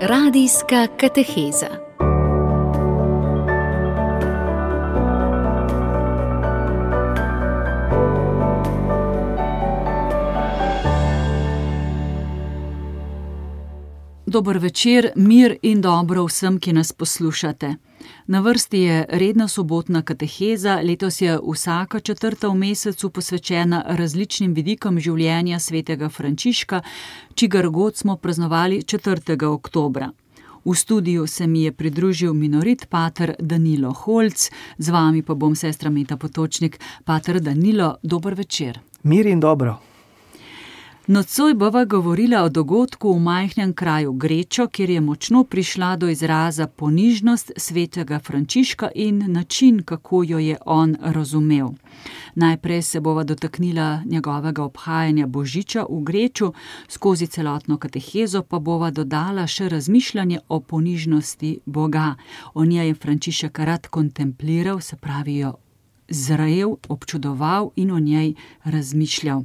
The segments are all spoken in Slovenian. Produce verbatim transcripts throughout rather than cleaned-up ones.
Radijska kateheza. Dober večer, mir in dobro vsem, ki nas poslušate. Na vrsti je redna sobotna kateheza, letos je vsaka četrta v mesecu posvečena različnim vidikom življenja svetega Frančiška, čigar god smo praznovali četrtega oktobra. V studiu se mi je pridružil minorit pater Danilo Holc, z vami pa bom sestra Meta Potočnik. Pater Danilo, dober večer. Mir in dobro. Nocoj bova govorila o dogodku v majhnem kraju Grečo, kjer je močno prišla do izraza ponižnost svetega Frančiška in način, kako jo je on razumel. Najprej se bova dotaknila njegovega obhajanja Božiča v Greču, skozi celotno katehezo pa bova dodala še razmišljanje o ponižnosti Boga. O njej je Frančišek rad kontempliral, se pravi jo zrel, občudoval in o njej razmišljal.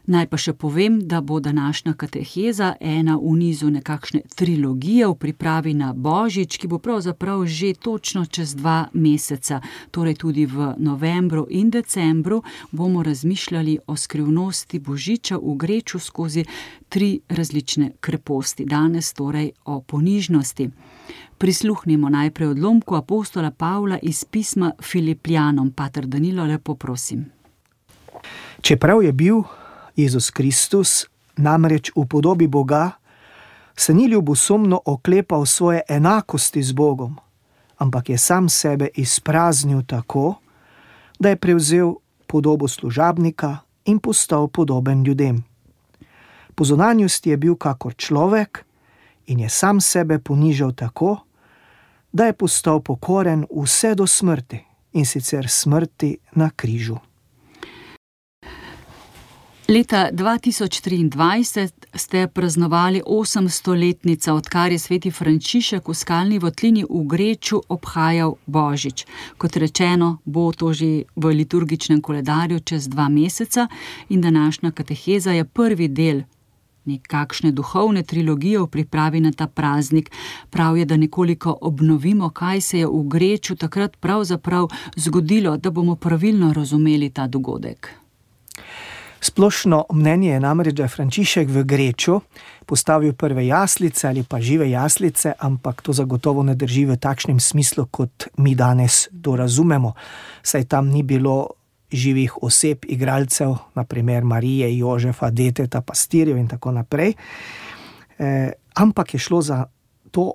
Naj pa še povem, da bo današnja kateheza ena v nizu nekakšne trilogije v pripravi na Božič, ki bo pravzaprav že točno čez dva meseca, torej tudi v novembru in decembru bomo razmišljali o skrivnosti Božiča v Greču skozi tri različne kreposti. Danes torej o ponižnosti. Prisluhnimo najprej odlomku apostola Pavla iz pisma Filipljanom. Pater Danilo, lepo prosim. Čeprav je bil Jezus Kristus namreč v podobi Boga, se ni ljubosumno oklepal svoje enakosti z Bogom, ampak je sam sebe izpraznil tako, da je prevzel podobo služabnika in postal podoben ljudem. Po zunanjosti je bil kakor človek in je sam sebe ponižal tako, da je postal pokoren vse do smrti, in sicer smrti na križu. Leta dva tisoč triindvajset ste praznovali osemstoletnica, odkar je sveti Frančišek v Skalni votlini v Greču obhajal Božič. Kot rečeno, bo to že v liturgičnem koledarju čez dva meseca in današnja kateheza je prvi del nekakšne duhovne trilogije v pripravi na ta praznik. Prav je, da nekoliko obnovimo, kaj se je v Greču takrat pravzaprav zgodilo, da bomo pravilno razumeli ta dogodek. Splošno mnenje je namreč, da je Frančišek v Greču postavil prve jaslice ali pa žive jaslice, ampak to zagotovo ne drži v takšnem smislu, kot mi danes to razumemo. Saj tam ni bilo živih oseb, igralcev, naprimer Marije, Jožefa, deteta, pastirjev in tako naprej. E, ampak je šlo za to,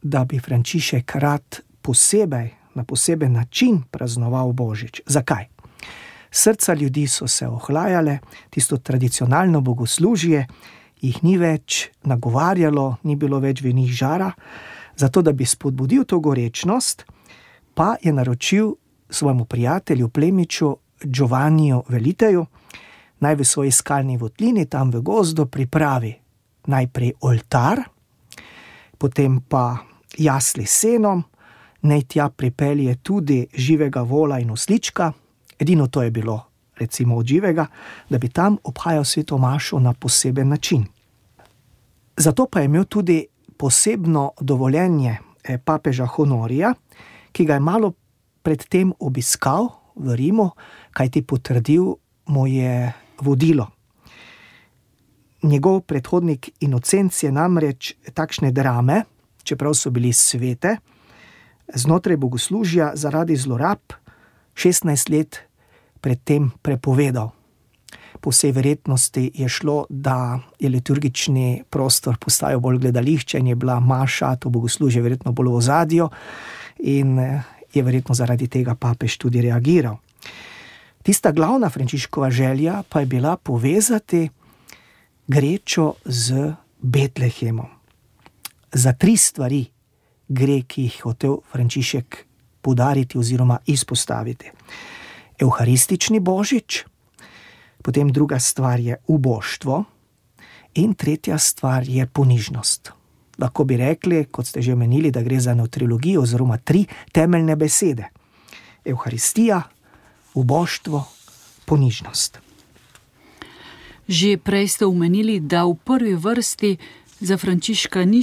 da bi Frančišek rad posebej, na poseben način praznoval Božič. Zakaj? Srca ljudi so se ohlajale, tisto tradicionalno bogoslužje jih ni več nagovarjalo, ni bilo več v njih žara, zato da bi spodbudil to gorečnost, pa je naročil svojemu prijatelju, plemiču Giovanniju Veliteju, naj v svoji skalni votlini tam v gozdu pripravi najprej oltar, potem pa jasli s senom, naj tja pripelje tudi živega vola in oslička. Edino to je bilo, recimo, od živega, da bi tam obhajal sveto mašo na poseben način. Zato pa je imel tudi posebno dovoljenje papeža Honorija, ki ga je malo predtem obiskal v Rimu, kajti potrdil mu je vodilo. Njegov predhodnik Inocenc je namreč takšne drame, čeprav so bili svete, znotraj bogoslužja zaradi zlorab šestnajst let predtem prepovedal. Po vsej verjetnosti je šlo, da je liturgični prostor postajal bolj gledališče in je bila maša, to bogoslužje verjetno bolj v ozadju in je verjetno zaradi tega papež tudi reagiral. Tista glavna Frančiškova želja pa je bila povezati Grečo z Betlehemom. Za tri stvari gre, ki jih hotel Frančišek poudariti oziroma izpostaviti. Evharistični Božič, potem druga stvar je uboštvo in tretja stvar je ponižnost. Lahko bi rekli, kot ste že omenili, da gre za eno trilogijo oziroma tri temeljne besede. Evharistija, uboštvo, ponižnost. Že prej ste omenili, da v prvi vrsti Za Frančiška ni,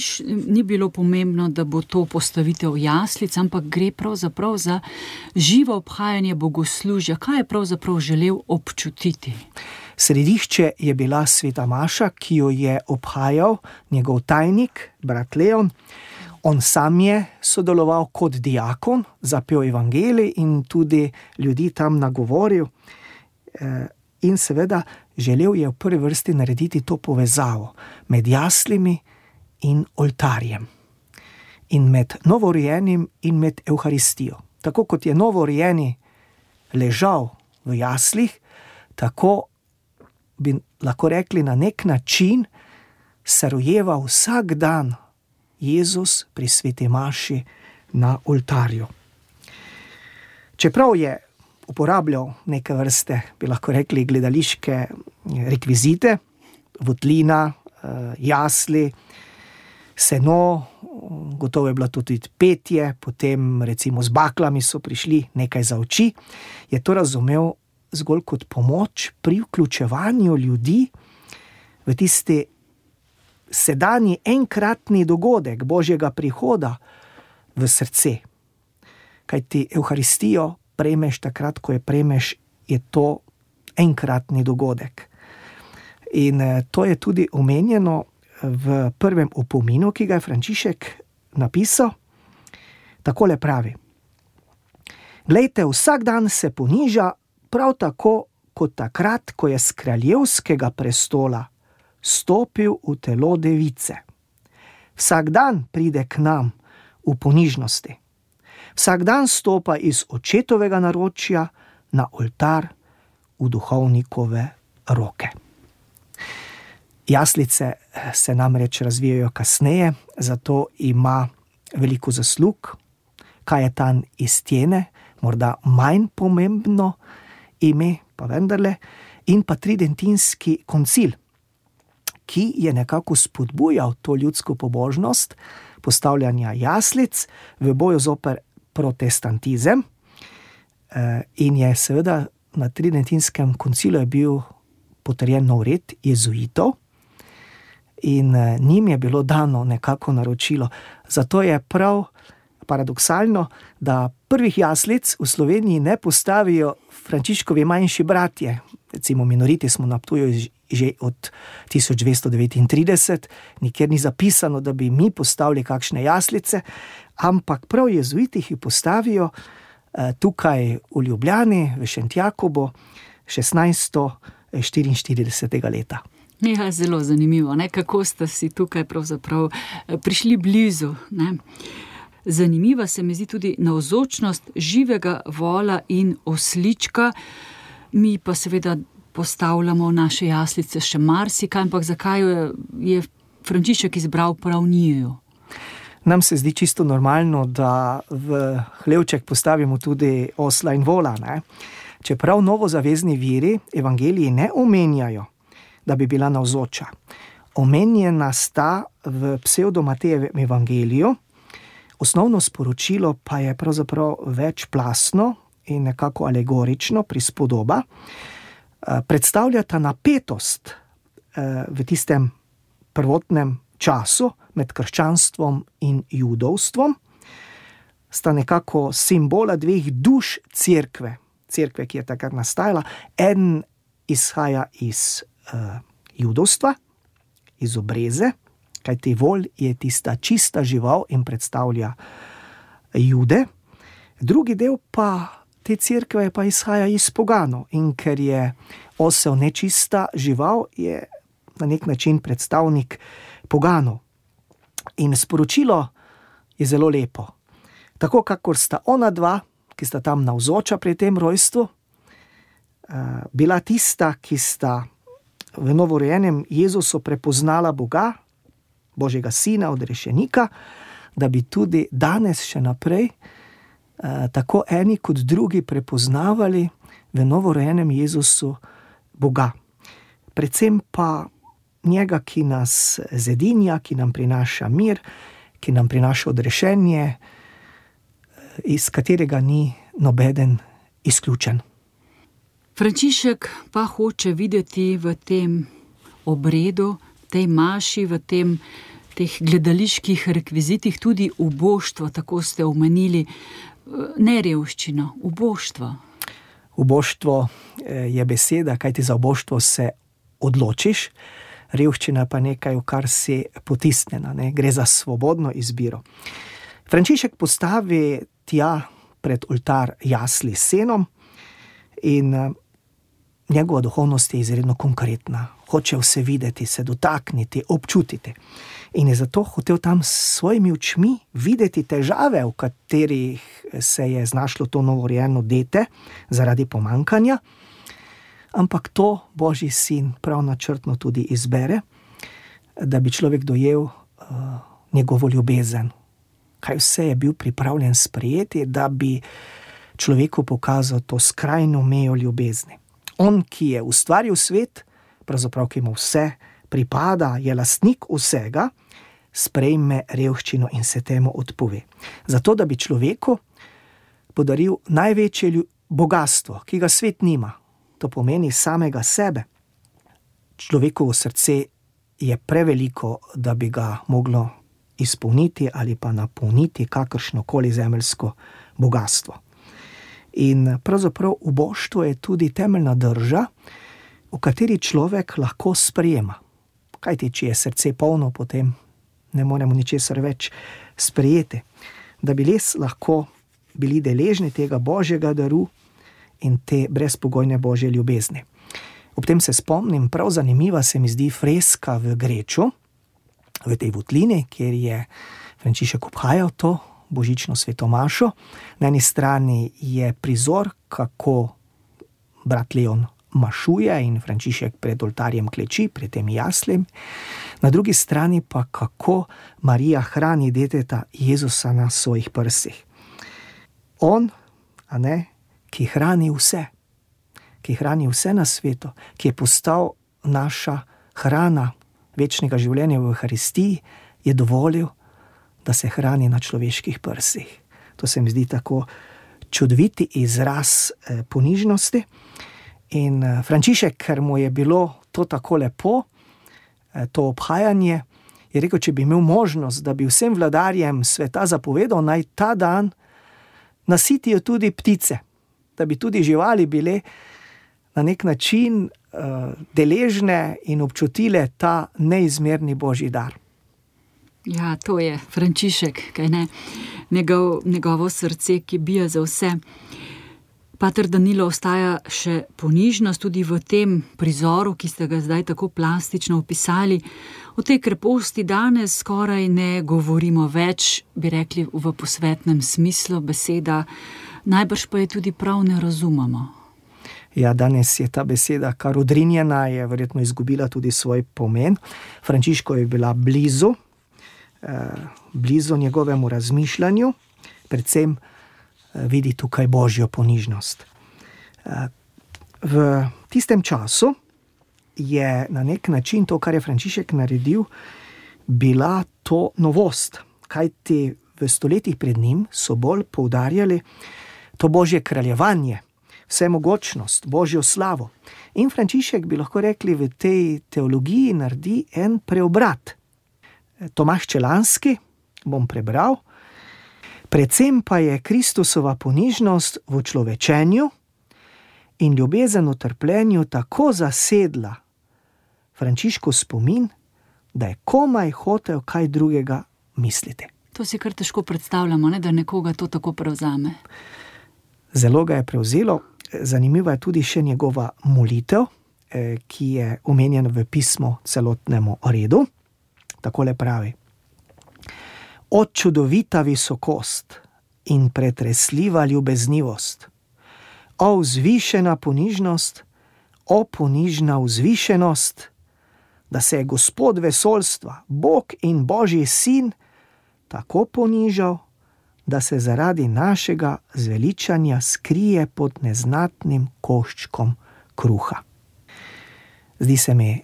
ni bilo pomembno, da bo to postavitev jaslic, ampak gre pravzaprav za živo obhajanje bogoslužja. Kaj je pravzaprav želel občutiti? Središče je bila sveta maša, ki jo je obhajal njegov tajnik, brat Leon. On sam je sodeloval kot diakon, zapel evangelij in tudi ljudi tam nagovoril. In seveda želel je v prvi vrsti narediti to povezavo med jaslimi in oltarjem. In med novorojenim in med Evharistijo. Tako kot je novorojeni ležal v jaslih, tako bi lahko rekli na nek način se rojeva vsak dan Jezus pri sveti maši na oltarju. Čeprav je uporabljal neke vrste, bi lahko rekli, gledališke rekvizite, votlina, jasli, seno, gotovo je bilo tudi petje, potem recimo z baklami so prišli nekaj za oči, je to razumel zgolj kot pomoč pri vključevanju ljudi v tisti sedanji enkratni dogodek Božjega prihoda v srce. Kajti Evharistijo prejmeš takrat, ko je prejmeš, je to enkratni dogodek. In to je tudi omenjeno v prvem opominu, ki ga je Frančišek napisal. Takole pravi: Glejte, vsak dan se poniža prav tako, kot takrat, ko je s kraljevskega prestola stopil v telo device. Vsak dan pride k nam v ponižnosti. Vsak dan stopa iz očetovega naročja na oltar v duhovnikove roke. Jaslice se namreč razvijajo kasneje, zato ima veliko zaslug. Kajetan iz Tjene, morda manj pomembno ime, pa vendarle, in pa tridentinski koncil, ki je nekako spodbujal to ljudsko pobožnost postavljanja jaslic v boju zoper protestantizem, in je seveda na tridentinskem koncilu je bil potrjen nov red jezuitov in njim je bilo dano nekako naročilo. Zato je prav paradoksalno, da prvih jaslic v Sloveniji ne postavijo Frančiškovi manjši bratje. Recimo minoriti smo na Ptuju že od tisoč dvesto devetintrideset, nikjer ni zapisano, da bi mi postavili kakšne jaslice, ampak prav jezuiti jih postavijo tukaj v Ljubljani, v Šentjakobu, šestnajststo štiriinštiridesetega leta. Ja, zelo zanimivo, ne? Kako ste si tukaj pravzaprav prišli blizu, ne? Zanimiva se mi zdi tudi navzočnost živega vola in oslička. Mi pa seveda postavljamo v naše jaslice še marsikaj, ampak zakaj je Frančišek izbral prav njiju? Nam se zdi čisto normalno, da v hlevček postavimo tudi osla in vola, ne? Čeprav novozavezni viri evangeliji ne omenjajo, da bi bila navzoča. Omenjena sta v psevdo-Matejevem evangeliju, osnovno sporočilo pa je pravzaprav večplastno in nekako alegorično, prispodoba. Predstavljata napetost v tistem prvotnem času med krščanstvom in judovstvom. Sta nekako simbola dveh duš cerkve. Cerkve, ki je takrat nastajala. En izhaja iz uh, judovstva, iz obreze, kajti volj je tista čista žival in predstavlja jude. Drugi del pa te cerkve pa izhaja iz poganov, in ker je osel nečista žival, je na nek način predstavnik poganov. In sporočilo je zelo lepo. Tako kakor sta ona dva, ki sta tam navzoča pri tem rojstvu, bila tista, ki sta v novorojenem Jezusu prepoznala Boga, Božjega sina, odrešenika, da bi tudi danes še naprej tako eni kot drugi prepoznavali v novorojenem Jezusu Boga. Predvsem pa njega, ki nas zedinja, ki nam prinaša mir, ki nam prinaša odrešenje, iz katerega ni nobeden izključen. Frančišek pa hoče videti v tem obredu tej maši, v tem, teh gledaliških rekvizitih tudi uboštvo, tako ste omenili, ne revščino, uboštvo. Uboštvo je beseda, kajti za uboštvo se odločiš, revščina pa nekaj, v kar si potisnjena, ne? Gre za svobodno izbiro. Frančišek postavi tja pred oltar jasli s senom in njegova duhovnost je izredno konkretna. Hoče vse videti, se dotakniti, občutiti. In je zato hotel tam s svojimi očmi videti težave, v katerih se je znašlo to novorojeno dete zaradi pomankanja. Ampak to Božji sin prav načrtno tudi izbere, da bi človek dojel uh, njegovo ljubezen. Kaj vse je bil pripravljen sprejeti, da bi človeku pokazal to skrajno mejo ljubezni. On, ki je ustvaril svet, pravzaprav ki mu vse pripada, je lastnik vsega, sprejme revščino in se temu odpove. Zato, da bi človeku podaril največje bogastvo, ki ga svet nima. To pomeni samega sebe. Človekovo srce je preveliko, da bi ga moglo izpolniti ali pa napolniti kakršnokoli zemeljsko bogastvo. In pravzaprav uboštvo je tudi temeljna drža, v kateri človek lahko sprejema. Kajti, če je srce polno, potem ne moremo ničesar več sprejeti. Da bi res lahko bili deležni tega Božjega daru in te brezpogojne Božje ljubezni. Ob tem se spomnim, prav zanimiva se mi zdi freska v Greču, v tej votlini, kjer je Frančišek obhajal to božično svetomašo. Na eni strani je prizor, kako brat Leon mašuje in Frančišek pred oltarjem kleči, pred tem jaslem. Na drugi strani pa kako Marija hrani deteta Jezusa na svojih prsih. On, a ne, ki hrani vse, ki hrani vse na svetu, ki je postal naša hrana večnega življenja v Euharistiji, je dovolil, da se hrani na človeških prsih. To se mi zdi tako čudoviti izraz eh, ponižnosti. In eh, Frančišek, ker mu je bilo to tako lepo, eh, to obhajanje, je rekel, če bi imel možnost, da bi vsem vladarjem sveta zapovedal, naj ta dan nasitijo tudi ptice, da bi tudi živali bile na nek način uh, deležne in občutile ta neizmerni Božji dar. Ja, to je Frančišek, kaj ne, Njegov, njegovo srce, ki bije za vse. Pater Danilo, ostaja še ponižnost tudi v tem prizoru, ki ste ga zdaj tako plastično opisali. O tej kreposti danes skoraj ne govorimo več, bi rekli v posvetnem smislu beseda, najbrž pa je tudi prav ne razumemo. Ja, danes je ta beseda kar odrinjena, je verjetno izgubila tudi svoj pomen. Frančišku je bila blizu, eh, blizu njegovemu razmišljanju, predvsem eh, vidi tukaj Božjo ponižnost. Eh, v tistem času je na nek način to, kar je Frančišek naredil, bila to novost, kajti v stoletjih pred njim so bolj poudarjali to Božje kraljevanje, vsemogočnost, Božjo slavo. In Frančišek, bi lahko rekli, v tej teologiji naredi en preobrat. Tomaž Čelanski, bom prebral, predvsem pa je Kristusova ponižnost v človečenju in ljubezen v trpljenju tako zasedla Frančiškov spomin, da je komaj hotel kaj drugega misliti. To si kar težko predstavljamo, ne, da nekoga to tako prevzame. Zelo ga je prevzelo. Zanimiva je tudi še njegova molitev, ki je omenjena v pismu celotnemu redu. Takole pravi: O čudovita visokost in pretresljiva ljubeznivost, o vzvišena ponižnost, o ponižna vzvišenost, da se je Gospod vesoljstva, Bog in Božji sin, tako ponižal, da se zaradi našega zveličanja skrije pod neznatnim koščkom kruha. Zdi se mi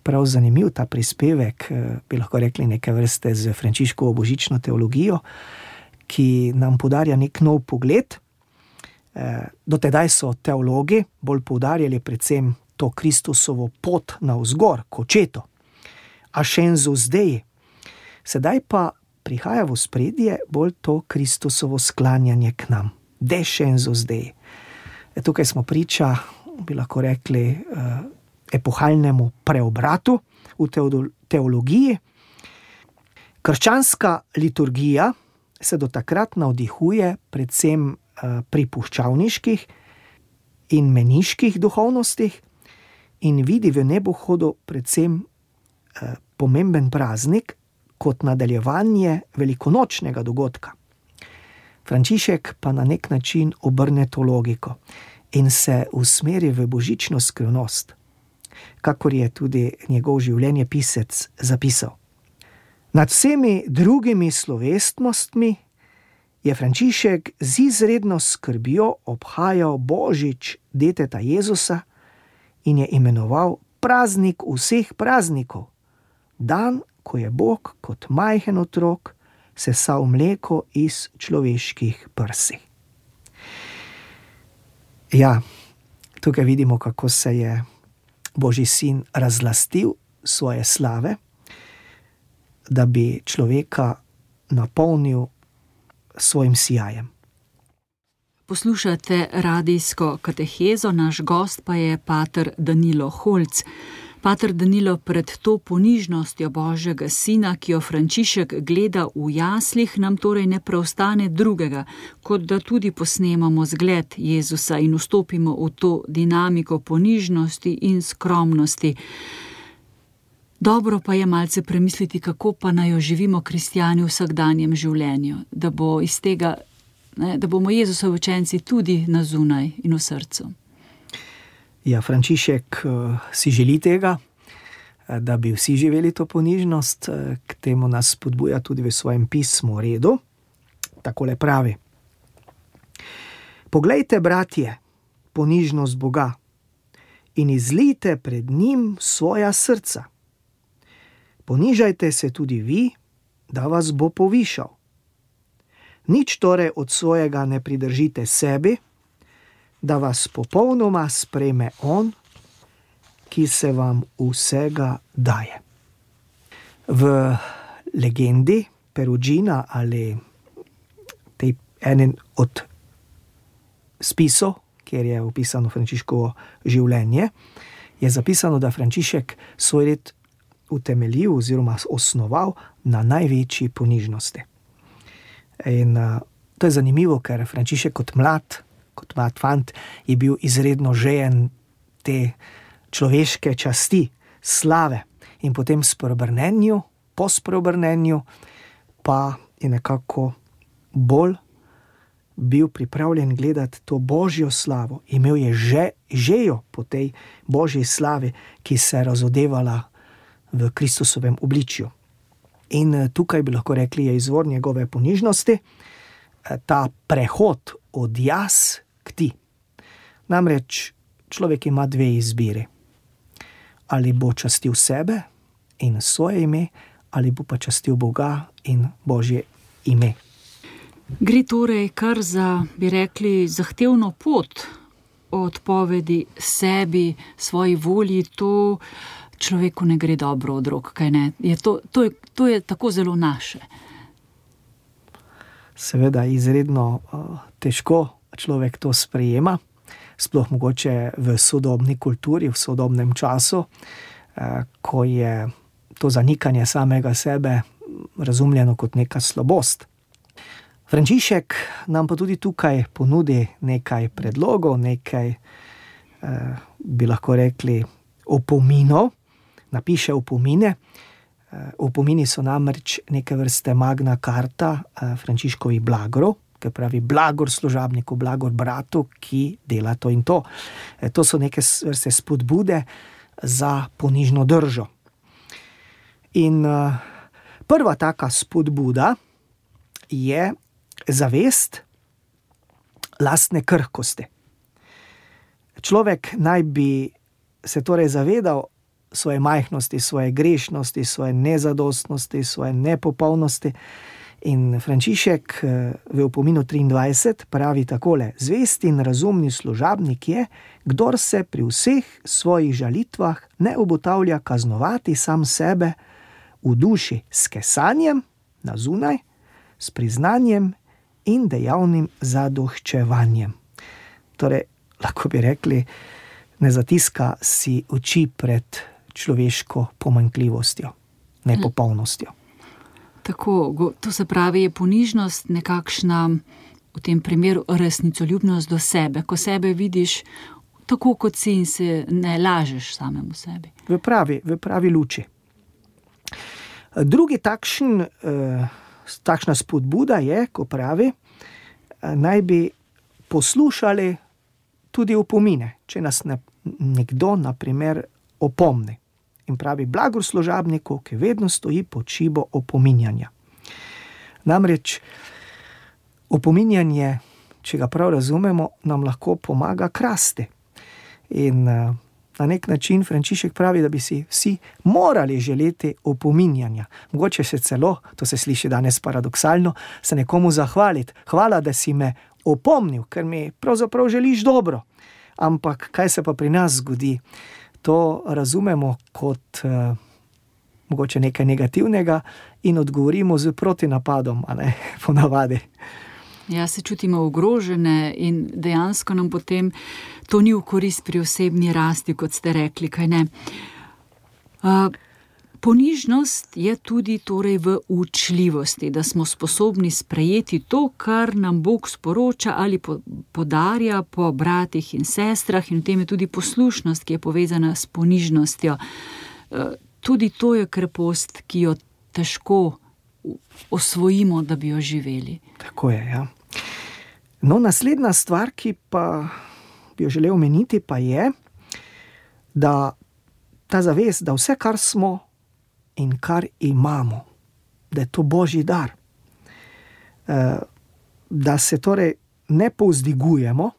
prav zanimiv ta prispevek, bi lahko rekli neke vrste z Frančiškovo božično teologijo, ki nam podarja nek nov pogled. Do tedaj so teologi bolj poudarjali predvsem to Kristusovo pot navzgor, k očetu. ascensus Dei. Sedaj pa prihaja v ospredje bolj to Kristusovo sklanjanje k nam. Descensus Dei. E, tukaj smo priča, bi lahko rekli, epohalnemu preobratu v teologiji. Krščanska liturgija se do takrat navdihuje predvsem pri puščavniških in meniških duhovnostih in vidi v nebohodu predvsem pomemben praznik kot nadaljevanje velikonočnega dogodka. Frančišek pa na nek način obrne to logiko in se usmeri v božično skrivnost, kakor je tudi njegov življenjepisec zapisal. Nad vsemi drugimi slovesnostmi je Frančišek z izredno skrbjo obhajal božič deteta Jezusa in je imenoval praznik vseh praznikov, dan, ko je Bog kot majhen otrok sesal mleko iz človeških prsi. Ja, tukaj vidimo, kako se je Božji sin razlastil svoje slave, da bi človeka napolnil svojim sijajem. Poslušate radijsko katehezo, naš gost pa je pater Danilo Holc. Pater Danilo, pred to ponižnostjo Božjega sina, ki jo Frančišek gleda v jaslih, nam torej ne preostane drugega, kot da tudi posnemamo zgled Jezusa in vstopimo v to dinamiko ponižnosti in skromnosti. Dobro pa je malce premisliti, kako pa naj jo živimo kristjani v vsakdanjem življenju, da bo iz tega, ne, da bomo Jezusovi učenci tudi na zunaj in v srcu. Ja, Frančišek uh, si želi tega, da bi vsi živeli to ponižnost, k temu nas spodbuja tudi v svojem pismu Redu. Takole pravi: Poglejte, bratje, ponižnost Boga in izlijte pred njim svoja srca. Ponižajte se tudi vi, da vas bo povišal. Nič torej od svojega ne pridržite sebi, da vas popolnoma sprejme on, ki se vam vsega daje. V legendi Perugina ali tej enen od spisov, kjer je opisano Frančiškovo življenje, je zapisano, da Frančišek svoj red utemeljil oziroma osnoval na največji ponižnosti. In uh, to je zanimivo, ker Frančišek kot mlad, kot mlad fant je bil izredno žejen te človeške časti, slave, in potem spreobrnenju, po spreobrnenju pa je nekako bolj bil pripravljen gledati to Božjo slavo. Imel je že, žejo po tej Božji slavi, ki se je razodevala v Kristusovem obličju. In tukaj bi lahko rekli, je izvor njegove ponižnosti, ta prehod od jaz k ti. Namreč človek ima dve izbiri. Ali bo častil sebe in svoje ime, ali bo pa častil Boga in Božje ime. Gre torej kar za, bi rekli, zahtevno pot odpovedi sebi, svoji volji, to človeku ne gre dobro od rok, kaj ne? Je to, to, je, to je tako zelo naše. Seveda izredno uh, težko človek to sprejema, sploh mogoče v sodobni kulturi, v sodobnem času, uh, ko je to zanikanje samega sebe razumljeno kot neka slabost. Frančišek nam pa tudi tukaj ponudi nekaj predlogov, nekaj, eh, bi lahko rekli, opominov, napiše opomine. Eh, opomini so namreč neke vrste magna carta eh, Frančiškovih blagorov, ki pravi blagor služabniku, blagor bratu, ki dela to in to. Eh, to so neke vrste spodbude za ponižno držo. In eh, prva taka spodbuda je zavest lastne krhkosti. Človek naj bi se torej zavedal svoje majhnosti, svoje grešnosti, svoje nezadostnosti, svoje nepopolnosti. In Frančišek v opominu triindvajset pravi takole: zvest in razumni služabnik je, kdor se pri vseh svojih žalitvah ne obotavlja kaznovati sam sebe, v duši s kesanjem na zunaj, s priznanjem in dejavnim zadoščevanjem. Torej, lahko bi rekli, ne zatiska si oči pred človeško pomanjkljivostjo, nepopolnostjo. Tako, to se pravi, je ponižnost nekakšna, v tem primeru, resnicoljubnost do sebe, ko sebe vidiš tako, kot si in se ne lažeš samemu sebi. V pravi, v pravi luči. Drugi takšen, eh, takšna spodbuda je, ko pravi, eh, naj bi poslušali tudi opomine, če nas ne, nekdo, na primer, opomni. In pravi, blagor služabniku, ki vedno stoji pod šibo opominjanja. Namreč opominjanje, če ga prav razumemo, nam lahko pomaga krasti. In uh, na nek način Frančišek pravi, da bi si vsi morali želeti opominjanja. Mogoče se celo, to se sliši danes paradoksalno, se nekomu zahvaliti. Hvala, da si me opomnil, ker mi pravzaprav želiš dobro. Ampak kaj se pa pri nas zgodi? To razumemo kot uh, mogoče nekaj negativnega in odgovorimo z protinapadom, a ne, ponavadi. Ja, se čutimo ogrožene in dejansko nam potem to ni v korist pri osebni rasti, kot ste rekli, kaj ne. Uh, ponižnost je tudi torej v učljivosti, da smo sposobni sprejeti to, kar nam Bog sporoča ali po, podarja po bratih in sestrah, in v tem je tudi poslušnost, ki je povezana s ponižnostjo. Uh, tudi to je krepost, ki jo težko osvojimo, da bi jo živeli. Tako je, ja. No, naslednja stvar, ki pa bi jo želel omeniti, pa je, da ta zavest, da vse, kar smo in kar imamo, da je to Božji dar. Da se torej ne povzdigujemo,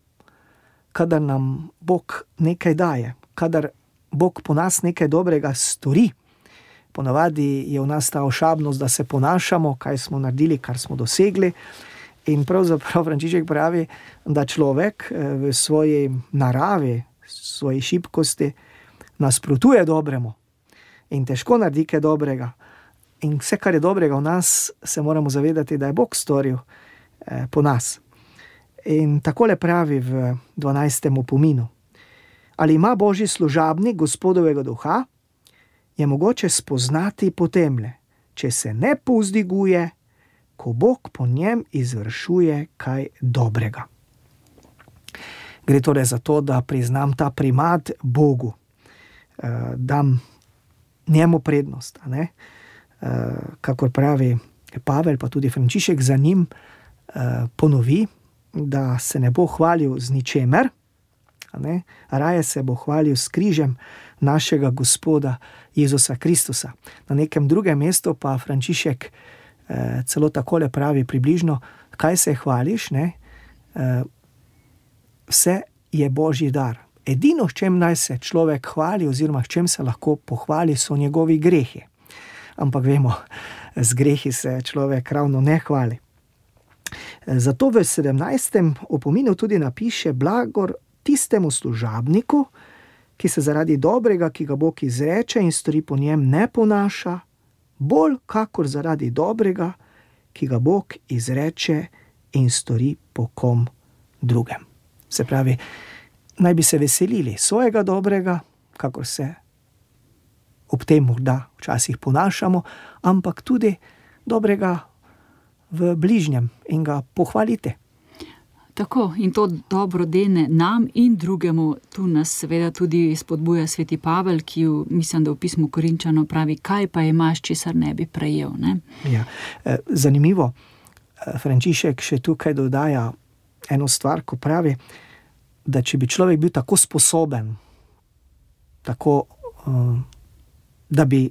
kadar nam Bog nekaj daje, kadar Bog po nas nekaj dobrega stori. Ponavadi je v nas ta ošabnost, da se ponašamo, kaj smo naredili, kar smo dosegli. In pravzaprav Frančišek pravi, da človek v svoji naravi, svoji šibkosti nasprotuje dobremu in težko naredi kaj dobrega. In vse, kar je dobrega v nas, se moramo zavedati, da je Bog storil eh, po nas. In takole pravi v dvanajstem opominu. Ali ima Božji služabnik Gospodovega duha, je mogoče spoznati potemle, če se ne povzdiguje, ko Bog po njem izvršuje kaj dobrega. Gre torej za to, da priznam ta primat Bogu, eh, dam njemu prednost, a ne? Eh, kakor pravi Pavel, pa tudi Frančišek za njim eh, ponovi, da se ne bo hvalil z ničemer, a ne? Raje se bo hvalil s križem našega Gospoda Jezusa Kristusa. Na nekem drugem mestu pa Frančišek eh, celo takole pravi približno, kaj se hvališ, ne? Eh, vse je Božji dar. Edino, s čem naj se človek hvali oziroma s čem se lahko pohvali, so njegovi grehi. Ampak vemo, z grehi se človek ravno ne hvali. Zato v sedemnajstem opominu tudi napiše blagor tistemu služabniku, ki se zaradi dobrega, ki ga Bog izreče in stori po njem, ne ponaša, bolj kakor zaradi dobrega, ki ga Bog izreče in stori po kom drugem. Se pravi, naj bi se veselili svojega dobrega, kakor se ob tem morda včasih ponašamo, ampak tudi dobrega v bližnjem in ga pohvalite. Tako, in to dobro dene nam in drugemu. Tu nas seveda tudi spodbuja sveti Pavel, ki v, mislim, da v pismu Korinčanom pravi, kaj pa imaš, česar ne bi prejel. Ne? Ja, zanimivo, Frančišek še tukaj dodaja eno stvar, ko pravi, da če bi človek bil tako sposoben, tako, da bi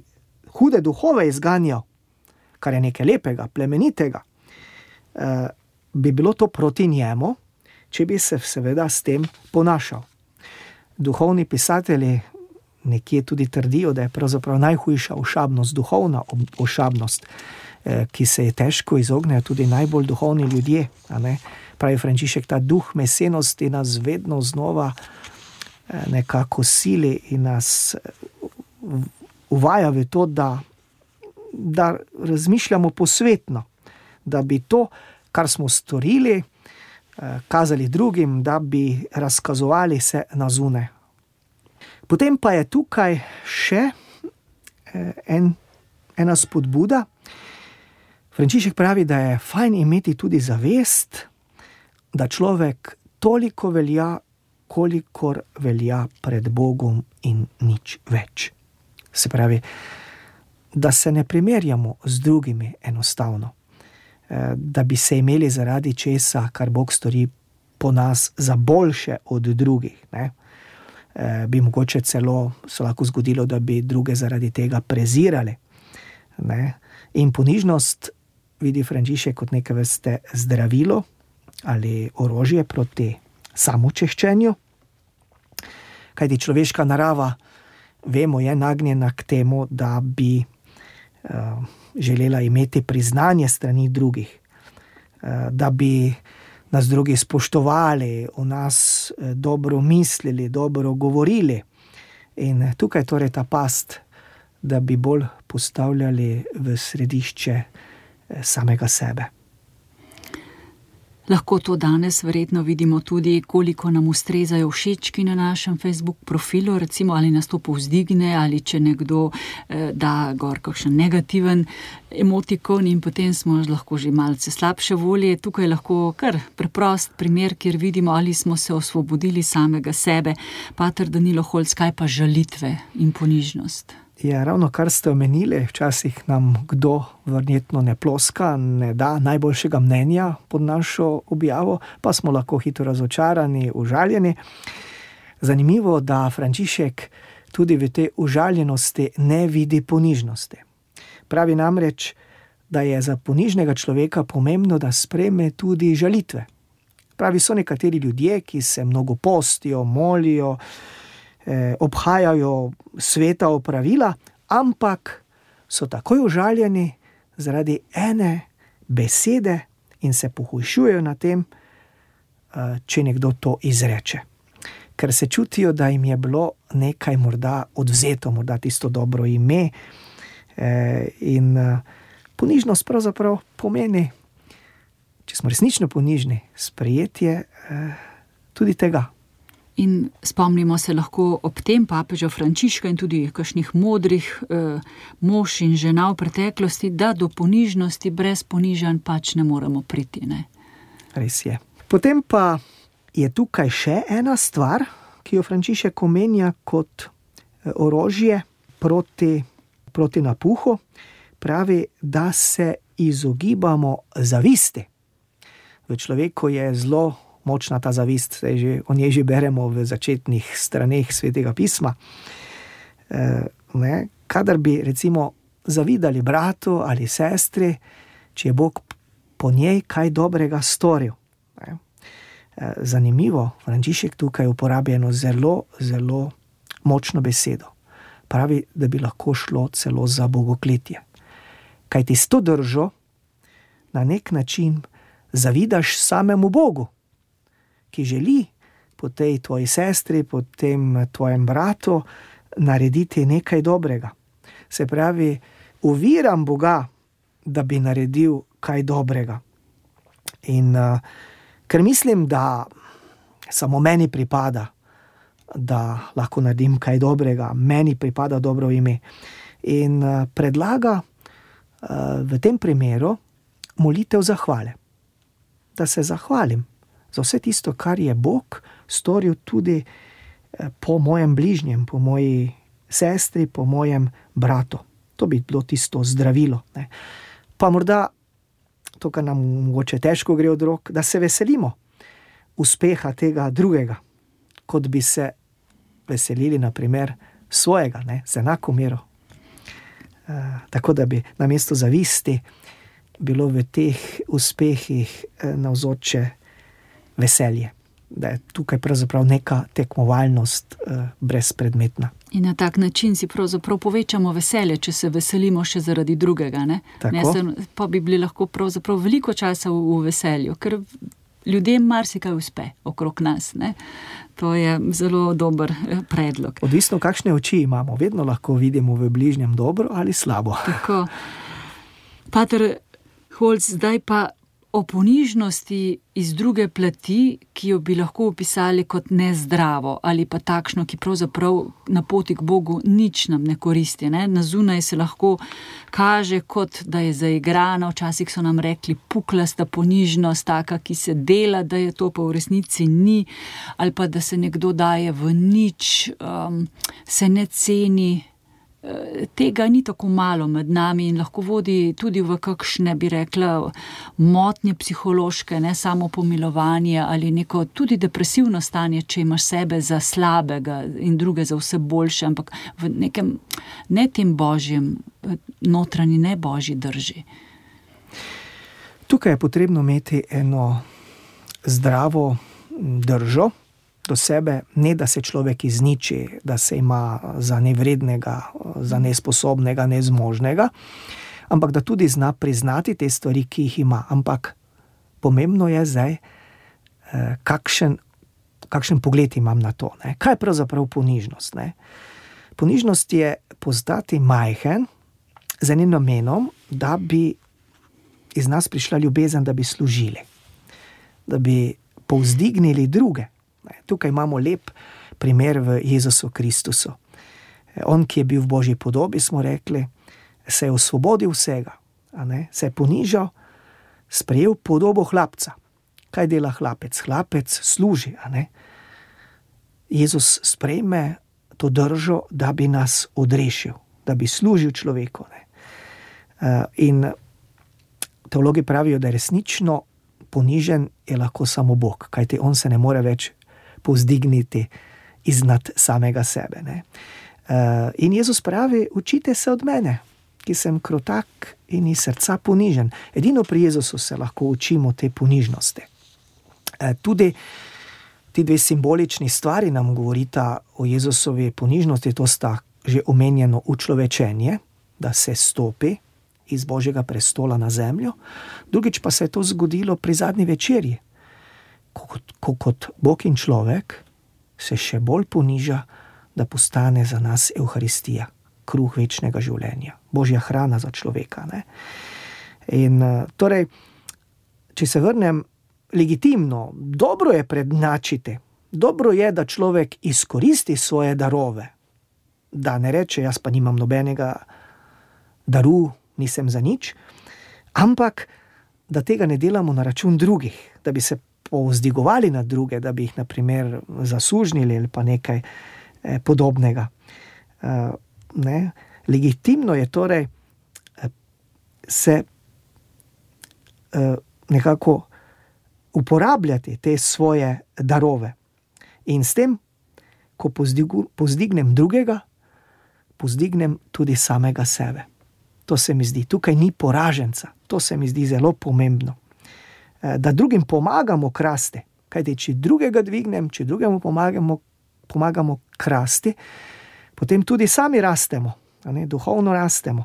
hude duhove izganjal, kar je nekaj lepega, plemenitega, bi bilo to proti njemu, če bi se seveda s tem ponašal. Duhovni pisatelji nekje tudi trdijo, da je pravzaprav najhujša ošabnost, duhovna ošabnost, ki se je težko izognejo tudi najbolj duhovni ljudje. A ne? Pravi Frančišek, ta duh mesenosti nas vedno znova nekako sili in nas uvaja v to, da da razmišljamo posvetno, da bi to, kar smo storili, kazali drugim, da bi razkazovali se na zunaj. Potem pa je tukaj še en, ena spodbuda. Frančišek pravi, da je fajn imeti tudi zavest, da človek toliko velja, kolikor velja pred Bogom in nič več. Se pravi, da se ne primerjamo z drugimi enostavno, da bi se imeli zaradi česa, kar Bog stori po nas, za boljše od drugih, ne? Bi mogoče celo se lahko zgodilo, da bi druge zaradi tega prezirali, ne? In ponižnost vidi Frančišek kot neke vrste zdravilo ali orožje proti samočeščenju, kajti človeška narava, vemo, je nagnjena k temu, da bi uh, želela imeti priznanje strani drugih, uh, da bi nas drugi spoštovali, o nas dobro mislili, dobro govorili. In tukaj torej ta past, da bi bolj postavljali v središče samega sebe. Lahko to danes verjetno vidimo tudi, koliko nam ustrezajo všečki na našem Facebook profilu, recimo ali nas to povzdigne, ali če nekdo eh, da gor kakšen negativen emotikon in potem smo lahko že malce slabše volje. Tukaj lahko kar preprost primer, kjer vidimo, ali smo se osvobodili samega sebe. Pater Danilo Holc, kaj pa žalitve in ponižnost? Ja, ravno kar ste omenili, včasih nam kdo verjetno ne ploska, ne da najboljšega mnenja pod našo objavo, pa smo lahko hitro razočarani, užaljeni. Zanimivo, da Frančišek tudi v tej užaljenosti ne vidi ponižnosti. Pravi namreč, da je za ponižnega človeka pomembno, da sprejme tudi žalitve. Pravi, so nekateri ljudje, ki se mnogo postijo, molijo, obhajajo sveta opravila, ampak so takoj užaljeni zaradi ene besede in se pohujšujejo na tem, če nekdo to izreče. Ker se čutijo, da jim je bilo nekaj morda odvzeto, morda tisto dobro ime. In ponižnost pravzaprav pomeni, če smo resnično ponižni, sprejetje tudi tega. In spomnimo se lahko ob tem papeža Frančiška in tudi kakšnih modrih eh, mož in žena v preteklosti, da do ponižnosti brez ponižanj pač ne moremo priti. Ne? Res je. Potem pa je tukaj še ena stvar, ki jo Frančišek omenja kot orožje proti, proti napuhu. Pravi, da se izogibamo zavisti. V človeku je zelo močna ta zavist, saj že, o njej že beremo v začetnih straneh Svetega pisma. E, ne, kadar bi recimo zavidali bratu ali sestri, če je Bog po njej kaj dobrega storil. Ne. E, zanimivo, Frančišek tukaj uporablja eno zelo, zelo močno besedo. Pravi, da bi lahko šlo celo za bogokletje. Kajti s to držo na nek način zavidaš samemu Bogu, ki želi po tej tvoji sestri, po tem tvojem bratu narediti nekaj dobrega. Se pravi, uviram Boga, da bi naredil kaj dobrega. In uh, ker mislim, da samo meni pripada, da lahko naredim kaj dobrega, meni pripada dobro ime. In uh, predlaga uh, v tem primeru molitev zahvale. Da se zahvalim za vse tisto, kar je Bog storil tudi po mojem bližnjem, po moji sestri, po mojem bratu. To bi bilo tisto zdravilo. Ne. Pa morda, to, kar nam mogoče težko gre od rok, da se veselimo uspeha tega drugega, kot bi se veselili, na primer, svojega, ne, z enako mero. E, tako da bi namesto zavisti bilo v teh uspehih navzoče veselje, da je tukaj pravzaprav neka tekmovalnost eh, brezpredmetna. In na tak način si pravzaprav povečamo veselje, če se veselimo še zaradi drugega. Ne? Ne, se, pa bi bili lahko pravzaprav veliko časa v, v veselju, ker ljudem marsikaj uspe okrog nas. Ne? To je zelo dober predlog. Odvisno, kakšne oči imamo, vedno lahko vidimo v bližnjem dobro ali slabo. Tako. Pater Holc, zdaj pa o ponižnosti iz druge plati, ki jo bi lahko opisali kot nezdravo ali pa takšno, ki pravzaprav na poti k Bogu nič nam ne koristi. Ne? Na zunaj se lahko kaže kot, da je zaigrana, včasih so nam rekli puklasta ponižnost, taka, ki se dela, da je to, pa v resnici ni, ali pa da se nekdo daje v nič, um, se ne ceni. Tega ni tako malo med nami in lahko vodi tudi v kakšne, bi rekla, motnje psihološke, ne samo pomilovanje ali neko tudi depresivno stanje, če imaš sebe za slabega in druge za vse boljše, ampak v nekem ne tem božjem, notranji ne božji drži. Tukaj je potrebno imeti eno zdravo držo do sebe, ne da se človek izniči, da se ima za nevrednega, za nesposobnega, nezmožnega, ampak da tudi zna priznati te stvari, ki jih ima. Ampak pomembno je zdaj, kakšen, kakšen pogled imam na to. Ne? Kaj je pravzaprav ponižnost? Ne? Ponižnost je postati majhen z enim namenom, da bi iz nas prišla ljubezen, da bi služili, da bi povzdignili druge. Tukaj imamo lep primer v Jezusu Kristusu. On, ki je bil v Božji podobi, smo rekli, se je osvobodil vsega, a ne? Se je ponižal, sprejel podobo hlapca. Kaj dela hlapec? Hlapec služi, a ne? Jezus sprejme to držo, da bi nas odrešil, da bi služil človeku. Ne? In teologi pravijo, da je resnično ponižen je lahko samo Bog, kajti on se ne more več povzdigniti iznad samega sebe. Ne? In Jezus pravi, učite se od mene, ki sem krotak in iz srca ponižen. Edino pri Jezusu se lahko učimo te ponižnosti. Tudi ti dve simbolični stvari nam govorita o Jezusovi ponižnosti, to sta že omenjeno učlovečenje, da se stopi iz Božjega prestola na zemljo, drugič pa se je to zgodilo pri zadnji večerji, ko kot, ko kot Bog in človek se še bolj poniža, da postane za nas Evharistija, kruh večnega življenja, Božja hrana za človeka. Ne? In torej, če se vrnem, legitimno, dobro je prednačiti, dobro je, da človek izkoristi svoje darove, da ne reče, jaz pa nimam nobenega daru, nisem za nič, ampak da tega ne delamo na račun drugih, da bi se povzdigovali na druge, da bi jih na primer zasužnili ali pa nekaj eh, podobnega. Uh, ne? Legitimno je torej eh, se eh, nekako uporabljati te svoje darove. In s tem, ko pozdigu, pozdignem drugega, pozdignem tudi samega sebe. To se mi zdi, tukaj ni poraženca, to se mi zdi zelo pomembno. Da drugim pomagamo krasti, kajti če drugega dvignem, če drugemu pomagamo, pomagamo krasti, potem tudi sami rastemo, a ne, duhovno rastemo.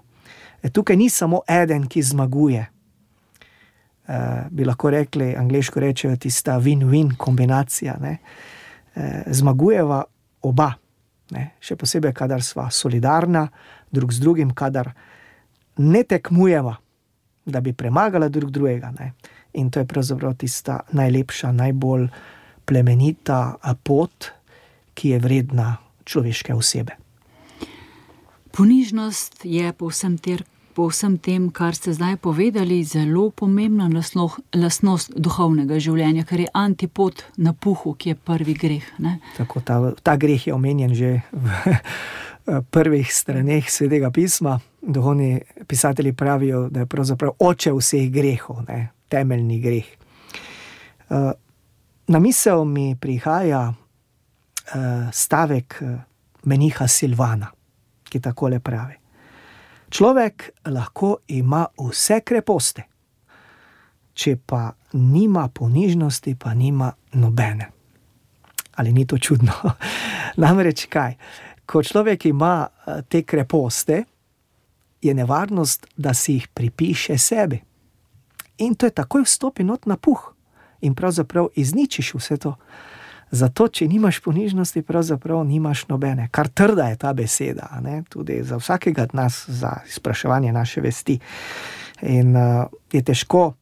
Tukaj ni samo eden, ki zmaguje. E, bi lahko rekli, angleško rečejo, tista win-win kombinacija. Ne? E, zmagujeva oba, ne? Še posebej, kadar sva solidarna, drug z drugim, kadar ne tekmujeva, da bi premagala drug drugega. Ne? In to je pravzaprav tista najlepša, najbolj plemenita pot, ki je vredna človeške osebe. Ponižnost je po vsem, ter, po vsem tem, kar ste zdaj povedali, zelo pomembna lastnost duhovnega življenja, ker je antipod napuhu, ki je prvi greh. Ne? Tako, ta, ta greh je omenjen že v prvih straneh Svetega pisma. Duhovni pisatelji pravijo, da je pravzaprav oče vseh grehov, ne? Temeljni greh. Na misel mi prihaja stavek meniha Silvana, ki takole pravi. Človek lahko ima vse kreposti, če pa nima ponižnosti, pa nima nobene. Ali ni to čudno? Namreč kaj? Ko človek ima te kreposti, je nevarnost, da si jih pripiše sebi. In to je takoj vstopi not na puh in pravzaprav izničiš vse to, Zato, če nimaš ponižnosti, pravzaprav nimaš nobene. Kar trda je ta beseda, ne? Tudi za vsakega od nas, za izpraševanje naše vesti. In uh, je težko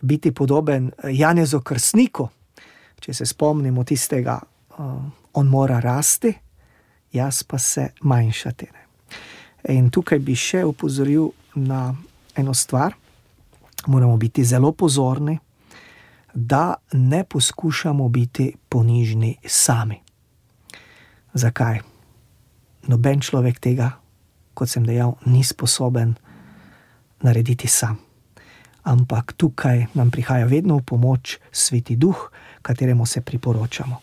biti podoben Janezu Krstniku, če se spomnimo tistega, uh, on mora rasti, jaz pa se manjšati. Ne? In tukaj bi še opozoril na eno stvar, moramo biti zelo pozorni, da ne poskušamo biti ponižni sami. Zakaj? Noben človek tega, kot sem dejal, ni sposoben narediti sam. Ampak tukaj nam prihaja vedno v pomoč Sveti Duh, kateremu se priporočamo.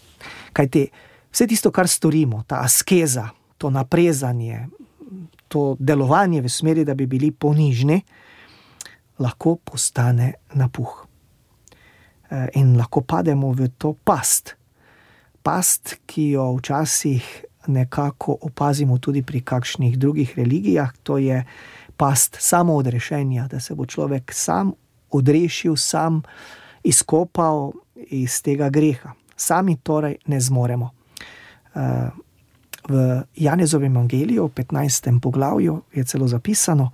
Kajti vse tisto, kar storimo, ta askeza, to naprezanje, to delovanje v smeri, da bi bili ponižni, lahko postane napuh. In lahko pademo v to past. Past, ki jo včasih nekako opazimo tudi pri kakšnih drugih religijah, to je past samoodrešenja, da se bo človek sam odrešil, sam izkopal iz tega greha. Sami torej ne zmoremo. V Janezovem evangeliju, v petnajstem poglavju, je celo zapisano,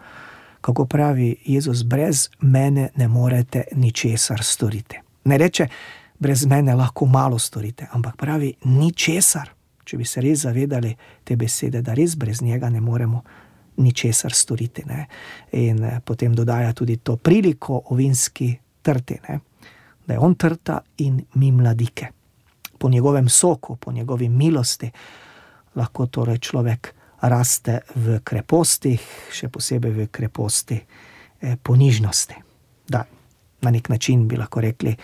kako pravi Jezus, brez mene ne morete ničesar storiti. Ne reče, brez mene lahko malo storite, ampak pravi ničesar, če bi se res zavedali te besede, da res brez njega ne moremo ničesar storiti. Ne? In potem dodaja tudi to priliko o vinski trti, ne? Da je on trta in mi mladike. Po njegovem soku, po njegovi milosti lahko torej človek raste v krepostih, še posebej v kreposti eh, ponižnosti. Da, na nek način bi lahko rekli,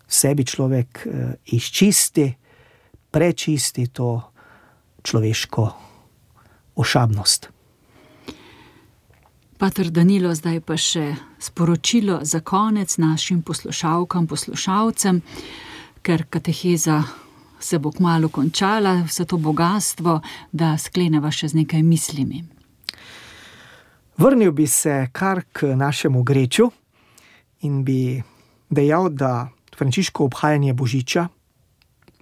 sebi človek eh, izčisti, prečisti to človeško ošabnost. Pater Danilo, zdaj pa še sporočilo za konec našim poslušalkam, poslušalcem, ker kateheza se bo kmalu končala, vse to bogatstvo, da skleneva še z nekaj mislimi. Vrnil bi se kar k našemu greču in bi dejal, da Frančiško obhajanje Božiča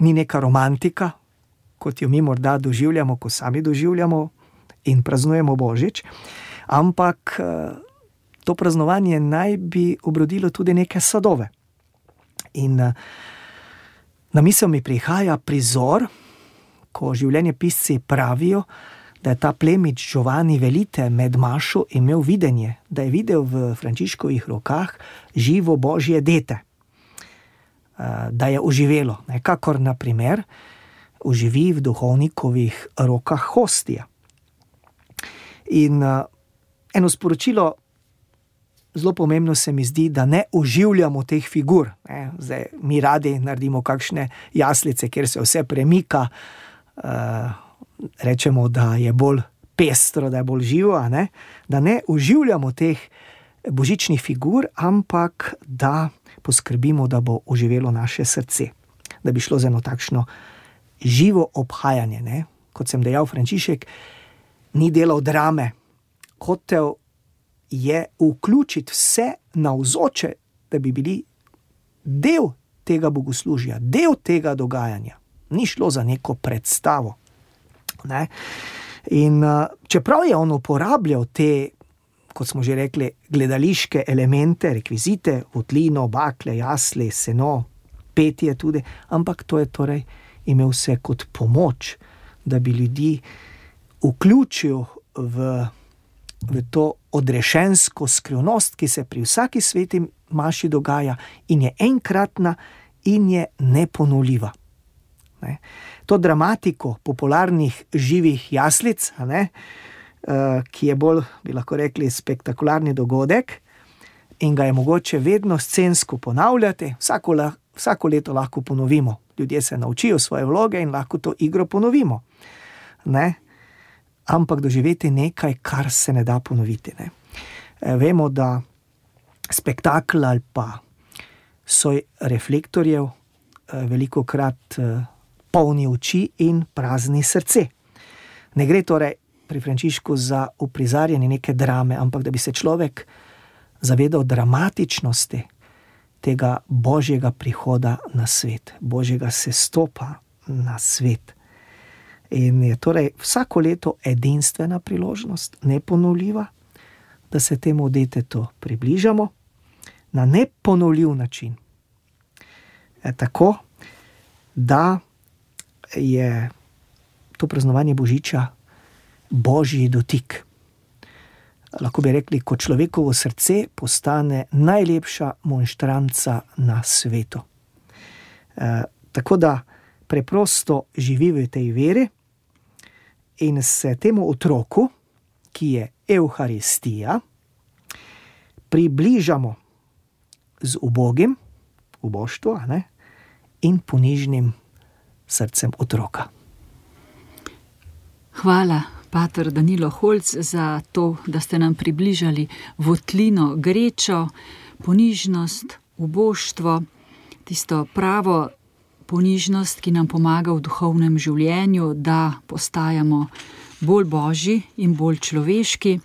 ni neka romantika, kot jo mi morda doživljamo, ko sami doživljamo in praznujemo Božič, ampak to praznovanje naj bi obrodilo tudi neke sadove. In na misel mi prihaja prizor, ko življenjepisci pravijo, da je ta plemič Giovanni Velite med mašo imel videnje, da je videl v Frančiškovih rokah živo Božje dete, da je oživelo, nekakor na primer oživi v duhovnikovih rokah hostija. In eno sporočilo, zelo pomembno se mi zdi, da ne oživljamo teh figur. Ne? Zdaj, mi radi naredimo kakšne jaslice, kjer se vse premika, uh, rečemo, da je bolj pestro, da je bolj živo, ne? Da ne oživljamo teh božičnih figur, ampak da poskrbimo, da bo oživelo naše srce. Da bi šlo za eno takšno živo obhajanje. Ne? Kot sem dejal, Frančišek ni delal drame, hotel je vključiti vse navzoče, da bi bili del tega bogoslužja, del tega dogajanja. Ni šlo za neko predstavo. Ne? In uh, čeprav je on uporabljal te, kot smo že rekli, gledališke elemente, rekvizite, votlino, bakle, jasle, seno, petje tudi, ampak to je torej imel vse kot pomoč, da bi ljudi vključil v v to odrešensko skrivnost, ki se pri vsaki sveti maši dogaja in je enkratna in je neponovljiva. Ne? To dramatiko popularnih živih jaslic, ne? Uh, ki je bolj, bi lahko rekli, spektakularni dogodek in ga je mogoče vedno scensko ponavljati, vsako, la, vsako leto lahko ponovimo. Ljudje se naučijo svoje vloge in lahko to igro ponovimo. Ne? Ampak doživeti nekaj, kar se ne da ponoviti. Ne? E, vemo, da spektakl ali pa soj reflektorjev e, veliko krat e, polni oči in prazni srce. Ne gre torej pri Frančišku za uprizarjanje neke drame, ampak da bi se človek zavedal dramatičnosti tega božjega prihoda na svet, božjega sestopa na svet. In je torej vsako leto edinstvena priložnost, neponovljiva, da se temu detetu približamo na neponovljiv način. E, tako, da je to praznovanje Božiča božji dotik. Lahko bi rekli, ko človekovo srce postane najlepša monštranca na svetu. E, tako da preprosto živi v tej veri in se temu otroku, ki je Evharistija, približamo z ubogim, uboštvo, ne, in ponižnim srcem otroka. Hvala, pater Danilo Holc, za to, da ste nam približali votlino, grečo, ponižnost, uboštvo, tisto pravo ponižnost, ki nam pomaga v duhovnem življenju, da postajamo bolj božji in bolj človeški.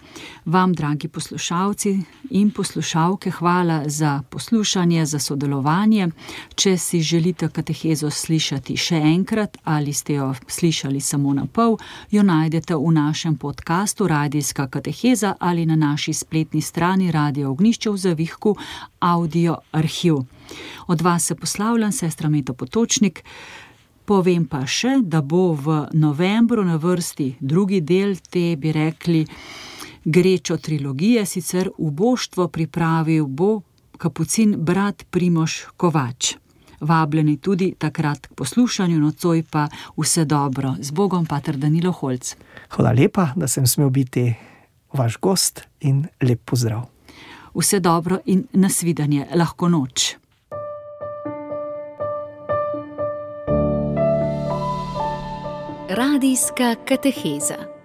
Vam, dragi poslušalci in poslušalke, hvala za poslušanje, za sodelovanje. Če si želite katehezo slišati še enkrat ali ste jo slišali samo na pol, jo najdete v našem podcastu Radijska kateheza ali na naši spletni strani Radio Ognjišče v Zavihku Audio arhiv. Od vas se poslavljam, sestra Meta Potočnik. Povem pa še, da bo v novembru na vrsti drugi del te, bi rekli, grečo trilogije, sicer uboštvo pripravil bo kapucin brat Primož Kovač. Vabljeni tudi takrat k poslušanju, nocoj pa vse dobro. Z Bogom, pater Danilo Holc. Hvala lepa, da sem smel biti vaš gost in lep pozdrav. Vse dobro in nasvidenje, lahko noč. Radijska kateheza.